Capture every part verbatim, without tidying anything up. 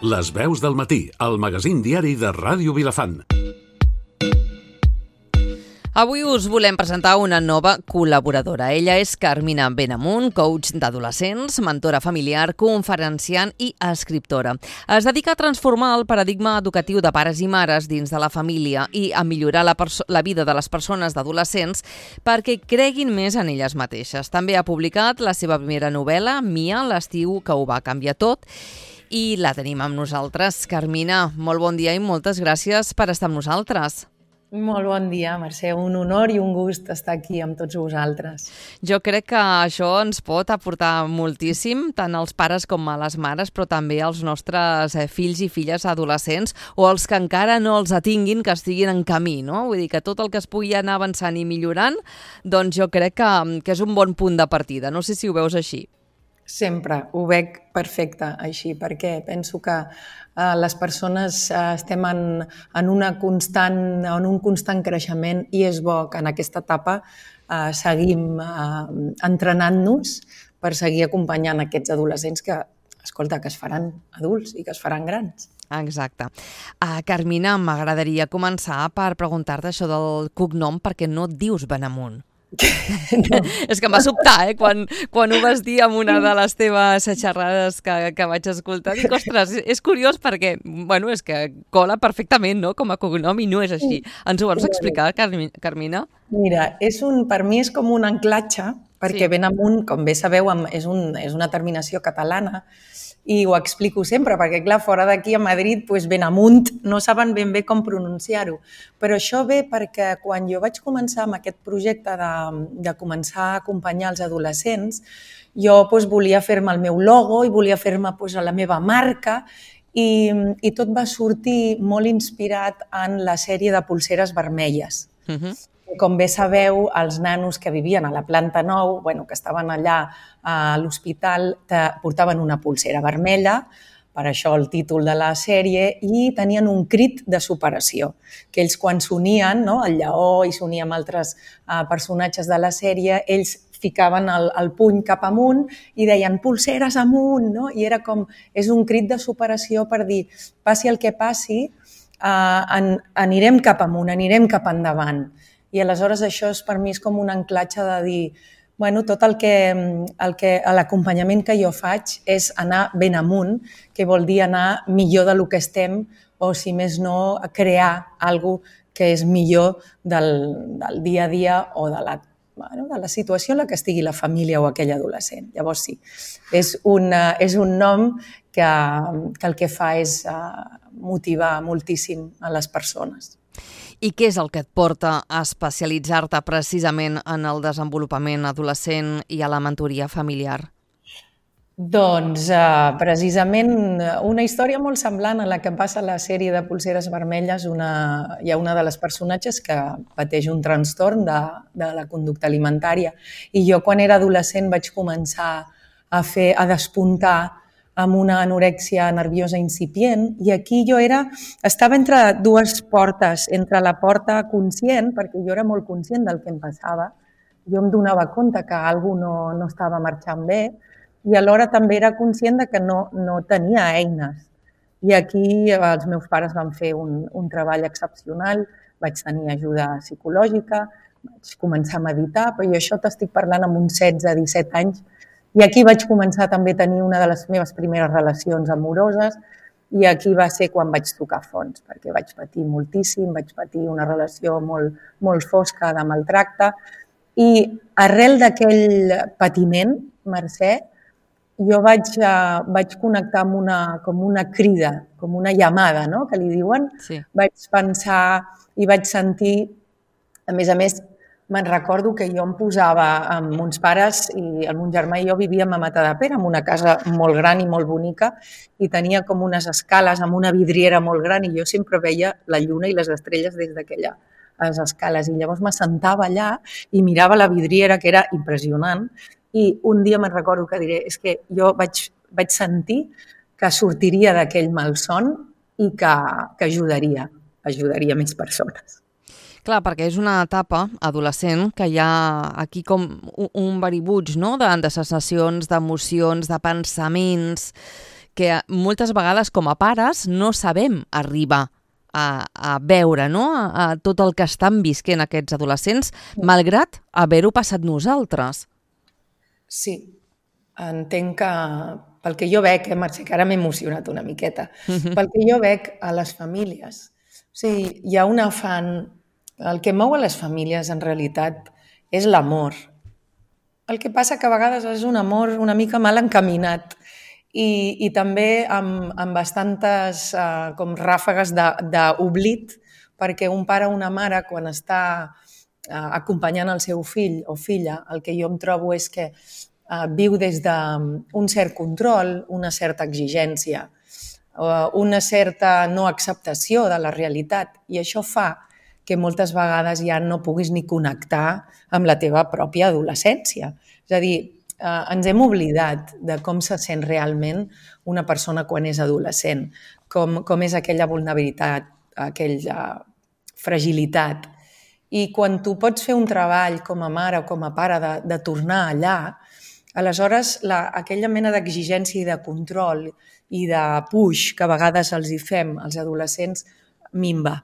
Les veus del matí, el magazín diari de Ràdio Vilafant. Avui us volem presentar una nova col·laboradora. Ella és Carmina Benamunt, coach d'adolescents, mentora familiar, conferenciant i escriptora. Es dedica a transformar el paradigma educatiu de pares i mares dins de la família i a millorar la, la vida de les persones d'adolescents perquè creguin més en elles mateixes. També ha publicat la seva primera novel·la, Mia, l'estiu que ho va canviar tot, i la tenim amb nosaltres. Carmina, molt bon dia i moltes gràcies per estar amb nosaltres. Molt bon dia, Mercè. Un honor i un gust estar aquí amb tots vosaltres. Jo crec que això ens pot aportar moltíssim, tant als pares com a les mares, però també als nostres fills i filles adolescents, o els que encara no els atinguin, que estiguin en camí, no? Vull dir que tot el que es pugui anar avançant i millorant, doncs jo crec que, que és un bon punt de partida. No sé si ho veus així. Sempre ho veig perfecte així, perquè penso que eh, les persones eh, estem en, en, una constant, en un constant creixement i és bo que en aquesta etapa eh, seguim eh, entrenant-nos per seguir acompanyant aquests adolescents que, escolta, que es faran adults i que es faran grans. Exacte. Uh, Carmina, m'agradaria començar per preguntar-te això del cognom, perquè no et dius Benamunt. No. És que em va sobtar, eh? Quan, quan ho vas dir en una de les teves xerrades que, que vaig escoltar. Dic, ostres, és curiós perquè, bueno, és que cola perfectament, no?, com a cognom i no és així. Ens ho vols explicar, Carmina? Mira, és un, per mi és com un anclatge, perquè sí. Benamunt, com bé sabeu, és, un, és una terminació catalana i ho explico sempre, perquè clar, fora d'aquí a Madrid, doncs Benamunt no saben ben bé com pronunciar-ho. Però això ve perquè quan jo vaig començar amb aquest projecte de, de començar a acompanyar els adolescents, jo doncs, volia fer-me el meu logo i volia fer-me doncs, la meva marca i, i tot va sortir molt inspirat en la sèrie de Polseres Vermelles. Uh-huh. Com bé sabeu, els nanos que vivien a la planta nou, bueno, que estaven allà a l'hospital, portaven una polsera vermella, per això el títol de la sèrie, i tenien un crit de superació, que ells quan s'unien, no, el lleó i s'unia amb altres uh, personatges de la sèrie, ells ficaven el, el puny cap amunt i deien polseres amunt, no? I era com, és un crit de superació per dir, passi el que passi, uh, an, anirem cap amunt, anirem cap endavant. I aleshores això és, per mi és com un anclatge de dir, bueno, tot el que, el que l'acompanyament que jo faig és anar ben amunt, que vol dir anar millor del que estem o, si més no, crear alguna cosa que és millor del, del dia a dia o de la, bueno, de la situació en la que estigui la família o aquell adolescent. Llavors sí, és un, és un nom que, que el que fa és motivar moltíssim a les persones. I què és el que et porta a especialitzar-te precisament en el desenvolupament adolescent i a la mentoria familiar? Doncs uh, precisament una història molt semblant a la que passa a la sèrie de Polseres Vermelles. Una, hi ha una de les personatges que pateix un trastorn de, de la conducta alimentària i jo quan era adolescent vaig començar a, fer, a despuntar amb una anorèxia nerviosa incipient i aquí jo era, estava entre dues portes, entre la porta conscient, perquè jo era molt conscient del que em passava, jo em donava compte que alguna cosa no, no estava marxant bé i alhora també era conscient de que no, no tenia eines. I aquí els meus pares van fer un, un treball excepcional, vaig tenir ajuda psicològica, vaig començar a meditar, però jo això t'estic parlant amb uns setze disset anys. I aquí vaig començar també a tenir una de les meves primeres relacions amoroses i aquí va ser quan vaig tocar fons, perquè vaig patir moltíssim, vaig patir una relació molt, molt fosca de maltracte i arrel d'aquell patiment, Mercè, jo vaig, uh, vaig connectar amb una, com una crida, com una llamada, no?, que li diuen. Sí. Vaig pensar i vaig sentir, a més a més, me'n recordo que jo em posava amb uns pares i el mon germà i jo vivíem a Matadepera, en una casa molt gran i molt bonica i tenia com unes escales amb una vidriera molt gran i jo sempre veia la lluna i les estrelles des d'aquelles escales i llavors m'assentava allà i mirava la vidriera, que era impressionant, i un dia me'n recordo que diré, és que jo vaig, vaig sentir que sortiria d'aquell malson i que, que ajudaria, ajudaria més persones. Clar, perquè és una etapa adolescent que hi ha aquí com un baribuig, no?, de, de sensacions, d'emocions, de pensaments, que moltes vegades com a pares no sabem arribar a, a veure, no? a, a tot el que estan visquent aquests adolescents, malgrat haver-ho passat nosaltres. Sí, entenc que, pel que jo veig, eh, Mercè, que ara m'he emocionat una miqueta, pel que jo veig a les famílies, o sigui, hi ha un afany, el que mou a les famílies en realitat és l'amor. El que passa que a vegades és un amor una mica mal encaminat i, i també amb, amb bastantes uh, com ràfegues d'oblit, perquè un pare o una mare, quan està uh, acompanyant el seu fill o filla, el que jo em trobo és que uh, viu des d'un cert control, una certa exigència, uh, una certa no acceptació de la realitat, i això fa que moltes vegades ja no puguis ni connectar amb la teva pròpia adolescència. És a dir, eh, ens hem oblidat de com se sent realment una persona quan és adolescent, com, com és aquella vulnerabilitat, aquella fragilitat. I quan tu pots fer un treball com a mare o com a pare de, de tornar allà, aleshores la, aquella mena d'exigència i de control i de push que a vegades els hi fem als adolescents minva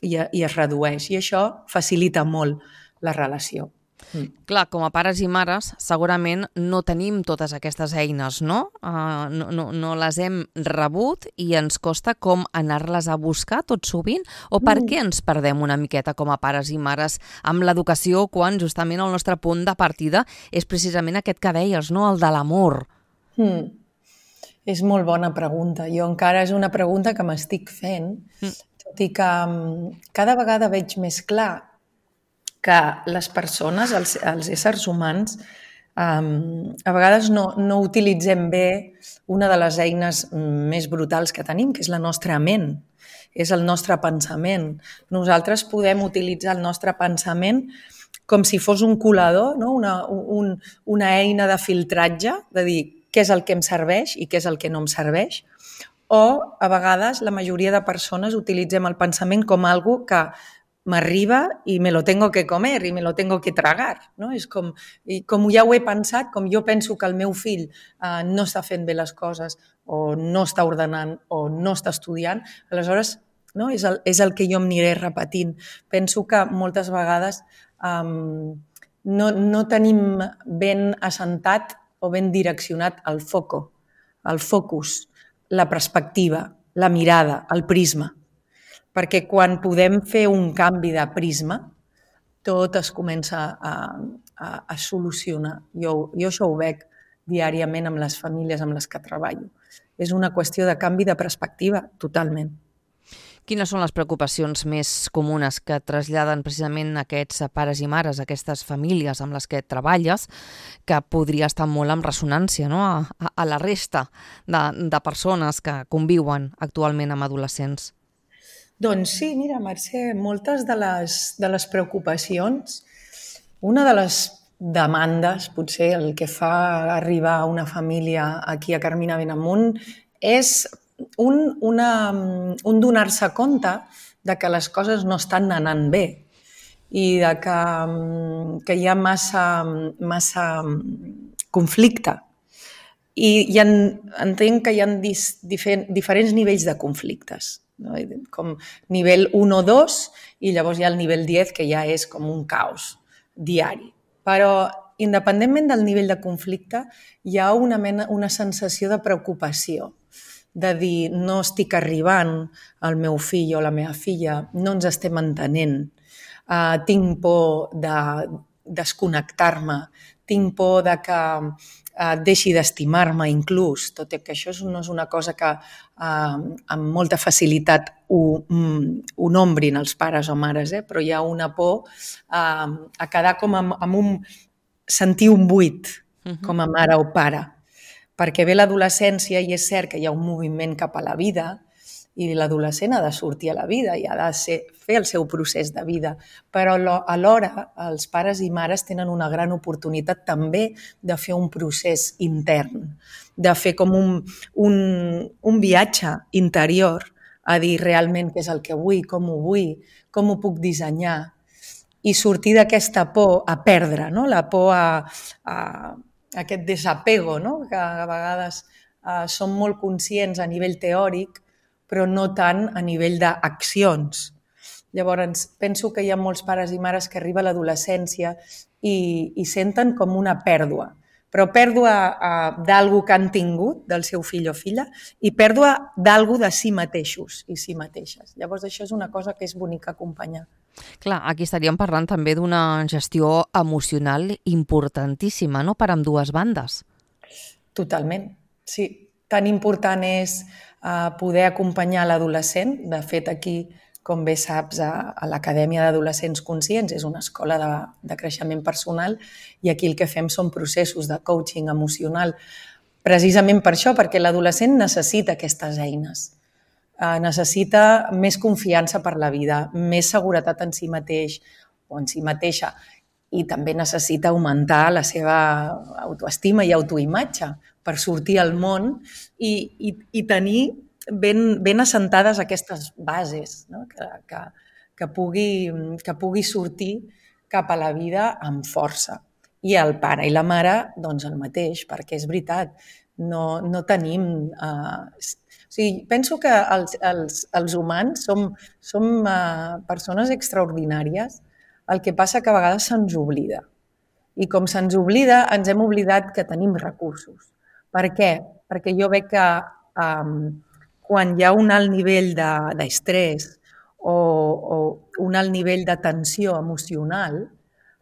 i, i es redueix. I això facilita molt la relació. Mm. Clar, com a pares i mares segurament no tenim totes aquestes eines, no? Uh, no, no? No les hem rebut i ens costa com anar-les a buscar tot sovint? O per mm. què ens perdem una miqueta com a pares i mares amb l'educació quan justament el nostre punt de partida és precisament aquest que deies, no? El de l'amor. Mm. És molt bona pregunta. Jo encara és una pregunta que m'estic fent, mm. tot i que cada vegada veig més clar que les persones, els, els éssers humans, um, a vegades no, no utilitzem bé una de les eines més brutals que tenim, que és la nostra ment, és el nostre pensament. Nosaltres podem utilitzar el nostre pensament com si fos un colador, no? una, un, una eina de filtratge, de dir què és el que em serveix i què és el que no em serveix, o a vegades la majoria de persones utilitzem el pensament com algo que m'arriba i me lo tengo que comer i me lo tengo que tragar. No? És com, i com ja ho he pensat, com jo penso que el meu fill eh, no està fent bé les coses o no està ordenant o no està estudiant, aleshores no? és, el, és el que jo em aniré repetint. Penso que moltes vegades um, no, no tenim ben assentat o ben direccionat el foco, el focus, la perspectiva, la mirada, el prisma. Perquè quan podem fer un canvi de prisma, tot es comença a, a, a solucionar. Jo, jo això ho veig diàriament amb les famílies amb les que treballo. És una qüestió de canvi de perspectiva, totalment. Quines són les preocupacions més comunes que traslladen precisament aquests pares i mares, aquestes famílies amb les que treballes, que podria estar molt en ressonància, no? a, a, a la resta de, de persones que conviuen actualment amb adolescents? Doncs sí, mira, Mercè, moltes de les, de les preocupacions, una de les demandes, potser el que fa arribar una família aquí a Carmina Benamunt, és un, una, un donar-se compte de que les coses no estan anant bé i de que, que hi ha massa, massa conflicte. I hi ha, entenc que hi ha dis, difer, diferents nivells de conflictes. No? Com nivell un o dos i llavors hi ha el nivell deu que ja és com un caos diari. Però independentment del nivell de conflicte hi ha una, mena, una sensació de preocupació, de dir no estic arribant al meu fill o la meva filla, no ens estem entenent, uh, tinc por de desconnectar-me, tinc por de que eh, deixi d'estimar-me inclús, tot i que això no és una cosa que eh, amb molta facilitat ho, ho nombrin els pares o mares, eh? Però hi ha una por eh, a quedar com amb, amb un... sentir un buit com a mare o pare, perquè ve l'adolescència i és cert que hi ha un moviment cap a la vida i l'adolescent ha de sortir a la vida i ha de ser, fer el seu procés de vida, però alhora els pares i mares tenen una gran oportunitat també de fer un procés intern, de fer com un, un, un viatge interior a dir realment què és el que vull, com ho vull, com ho puc dissenyar i sortir d'aquesta por a perdre, no? La por a, a, a aquest desapego, no? Que a vegades uh, som molt conscients a nivell teòric, però no tant a nivell d'accions. Llavors, penso que hi ha molts pares i mares que arriba a l'adolescència i, i senten com una pèrdua, però pèrdua uh, d'algú que han tingut, del seu fill o filla, i pèrdua d'algú de si mateixos i si mateixes. Llavors, això és una cosa que és bonica acompanyar. Clar, aquí estaríem parlant també d'una gestió emocional importantíssima, no?, per ambdues bandes. Totalment, sí. Tan important és uh, poder acompanyar l'adolescent. De fet, aquí, com bé saps, a, a l'Acadèmia d'Adolescents Conscients és una escola de, de creixement personal i aquí el que fem són processos de coaching emocional precisament per això, perquè l'adolescent necessita aquestes eines. Uh, necessita més confiança per la vida, més seguretat en si mateix o en si mateixa i també necessita augmentar la seva autoestima i autoimatge per sortir al món i, i, i tenir ben, ben assentades aquestes bases, no? que, que, que, pugui, que pugui sortir cap a la vida amb força. I el pare i la mare, doncs el mateix, perquè és veritat, no, no tenim... Uh, o sigui, penso que els, els, els humans som, som uh, persones extraordinàries, el que passa que a vegades se'ns oblida. I com se'ns oblida, ens hem oblidat que tenim recursos. Per què? Perquè jo veig que um, quan hi ha un alt nivell d'estrès o, o un alt nivell de tensió emocional,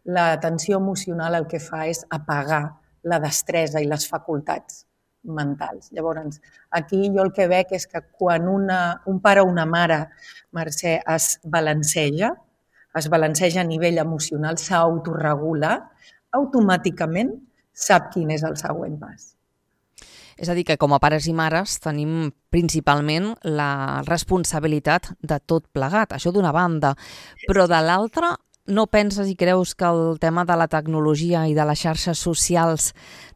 la tensió emocional el que fa és apagar la destresa i les facultats mentals. Llavors, aquí jo el que veig és que quan una, un pare o una mare, Mercè, es balanceja, es balanceja a nivell emocional, s'autoregula, automàticament sap quin és el següent pas. És a dir, que com a pares i mares tenim principalment la responsabilitat de tot plegat, això d'una banda, però de l'altra no penses i creus que el tema de la tecnologia i de les xarxes socials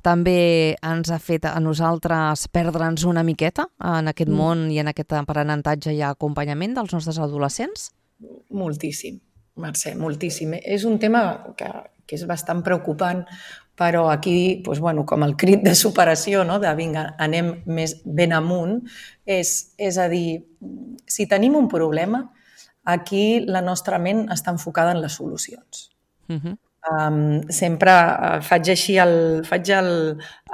també ens ha fet a nosaltres perdre'ns una miqueta en aquest mm. món i en aquest aprenentatge i acompanyament dels nostres adolescents? Moltíssim, Mercè, moltíssim. És un tema que, que és bastant preocupant, però aquí, doncs, bueno, com el crit de superació, no? De vinga, anem més ben amunt, és, és a dir, si tenim un problema, aquí la nostra ment està enfocada en les solucions. Uh-huh. um, sempre uh, faig així el, faig el,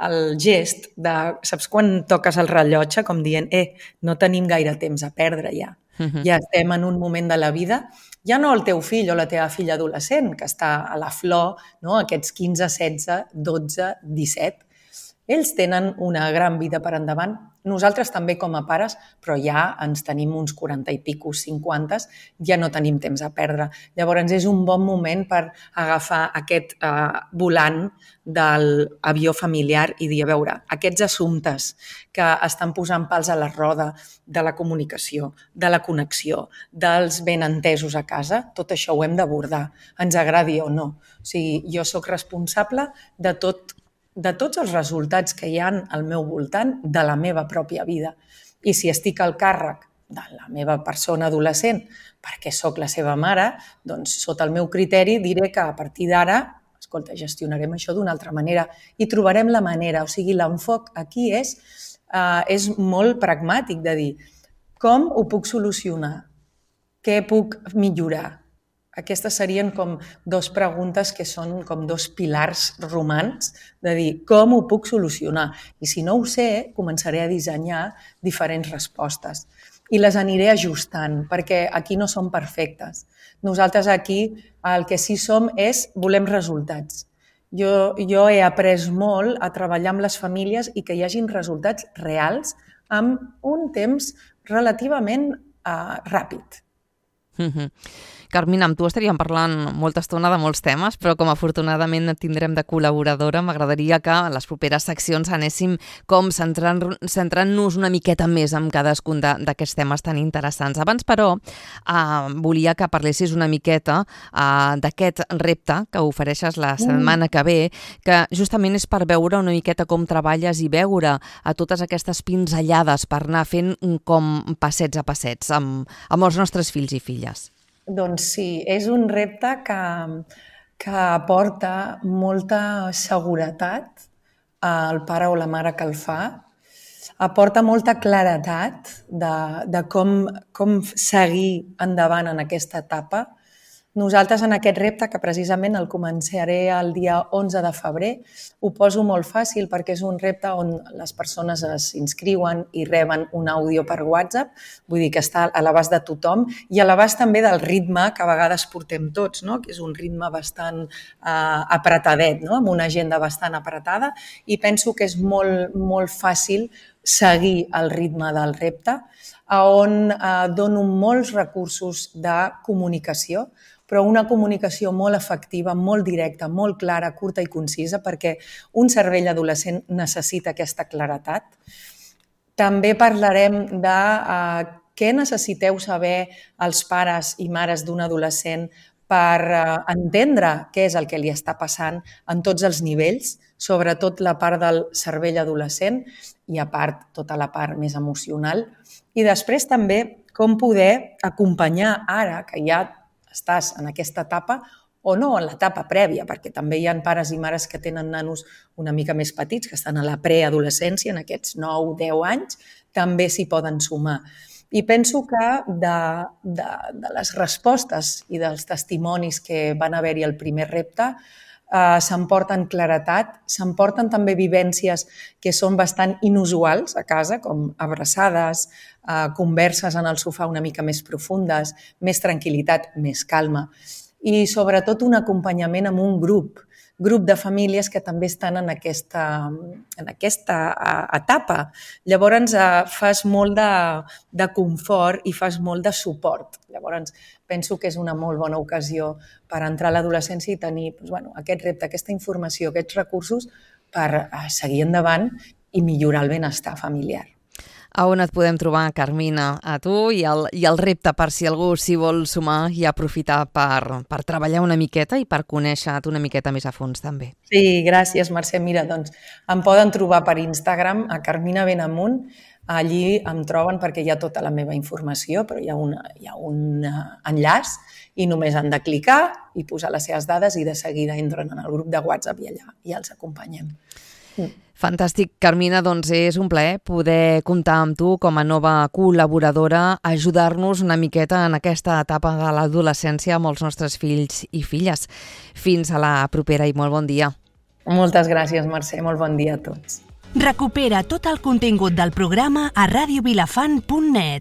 el gest de, saps quan toques el rellotge com dient, eh, no tenim gaire temps a perdre ja. Uh-huh. Ja estem en un moment de la vida, ja no el teu fill o la teva filla adolescent, que està a la flor, no? Aquests quinze, setze, dotze, disset, ells tenen una gran vida per endavant. Nosaltres també com a pares, però ja ens tenim uns quaranta i pico, cinquanta, ja no tenim temps a perdre. Llavors és un bon moment per agafar aquest eh, volant de l'avió familiar i dir, a veure, aquests assumptes que estan posant pals a la roda de la comunicació, de la connexió, dels benentesos a casa, tot això ho hem d'abordar, ens agradi o no. O sigui, jo sóc responsable de tot de tots els resultats que hi ha al meu voltant de la meva pròpia vida. I si estic al càrrec de la meva persona adolescent perquè sóc la seva mare, doncs sota el meu criteri diré que a partir d'ara, escolta, gestionarem això d'una altra manera i trobarem la manera. O sigui, l'enfoc aquí és, uh, és molt pragmàtic de dir com ho puc solucionar, què puc millorar. Aquestes serien com dos preguntes que són com dos pilars romans de dir com ho puc solucionar. I si no ho sé, començaré a dissenyar diferents respostes i les aniré ajustant perquè aquí no som perfectes. Nosaltres aquí el que sí som és volem resultats. Jo, jo he après molt a treballar amb les famílies i que hi hagin resultats reals amb un temps relativament uh, ràpid. Mm-hmm. Carmina, amb tu estaríem parlant molta estona de molts temes, però com afortunadament et tindrem de col·laboradora, m'agradaria que a les properes seccions anéssim com centrant, centrant-nos una miqueta més en cadascun d'aquests temes tan interessants. Abans, però, eh, volia que parlessis una miqueta eh, d'aquest repte que ofereixes la setmana que ve, que justament és per veure una miqueta com treballes i veure a totes aquestes pinzellades per anar fent com passets a passets amb, amb els nostres fills i filles. Doncs sí, és un repte que, que aporta molta seguretat al pare o la mare que el fa aporta molta claretat de, de com, com seguir endavant en aquesta etapa. Nosaltres en aquest repte, que precisament el començaré el dia onze de febrer, ho poso molt fàcil perquè és un repte on les persones s'inscriuen i reben un àudio per WhatsApp, vull dir que està a l'abast de tothom i a l'abast també del ritme que a vegades portem tots, no? Que és un ritme bastant eh, apretadet, no? Amb una agenda bastant apretada, i penso que és molt, molt fàcil seguir el ritme del repte, on eh, dono molts recursos de comunicació, però una comunicació molt efectiva, molt directa, molt clara, curta i concisa, perquè un cervell adolescent necessita aquesta claretat. També parlarem de eh, què necessiteu saber els pares i mares d'un adolescent per eh, entendre què és el que li està passant en tots els nivells, sobretot la part del cervell adolescent i a part tota la part més emocional. I després també com poder acompanyar ara que ja estàs en aquesta etapa o no en l'etapa prèvia, perquè també hi ha pares i mares que tenen nanos una mica més petits, que estan a la preadolescència, en aquests nou deu anys, també s'hi poden sumar. I penso que de, de, de les respostes i dels testimonis que van haver-hi al primer repte, Uh, s'emporten claretat, s'emporten també vivències que són bastant inusuals a casa, com abraçades, uh, converses en el sofà una mica més profundes, més tranquil·litat, més calma i sobretot un acompanyament amb un grup, grup de famílies que també estan en aquesta, en aquesta etapa. Llavors uh, fas molt de, de confort i fas molt de suport. Llavors penso que és una molt bona ocasió per entrar a l'adolescència i tenir doncs, bueno, aquest repte, aquesta informació, aquests recursos per uh, seguir endavant i millorar el benestar familiar. A on et podem trobar, Carmina, a tu i el, i el repte per si algú s'hi vol sumar i aprofitar per, per treballar una miqueta i per conèixer-te una miqueta més a fons també? Sí, gràcies, Mercè. Mira, doncs em poden trobar per Instagram a Carmina Benamunt. Allí em troben perquè hi ha tota la meva informació, però hi ha, una, hi ha un enllaç i només han de clicar i posar les seves dades i de seguida entren en el grup de WhatsApp i allà i els acompanyem. Mm. Fantàstic, Carmina, doncs és un plaer poder comptar amb tu com a nova col·laboradora, ajudar-nos una miqueta en aquesta etapa de l'adolescència amb els nostres fills i filles. Fins a la propera i molt bon dia. Moltes gràcies, Mercè, molt bon dia a tots. Recupera tot el contingut del programa a radio vilafant punt net.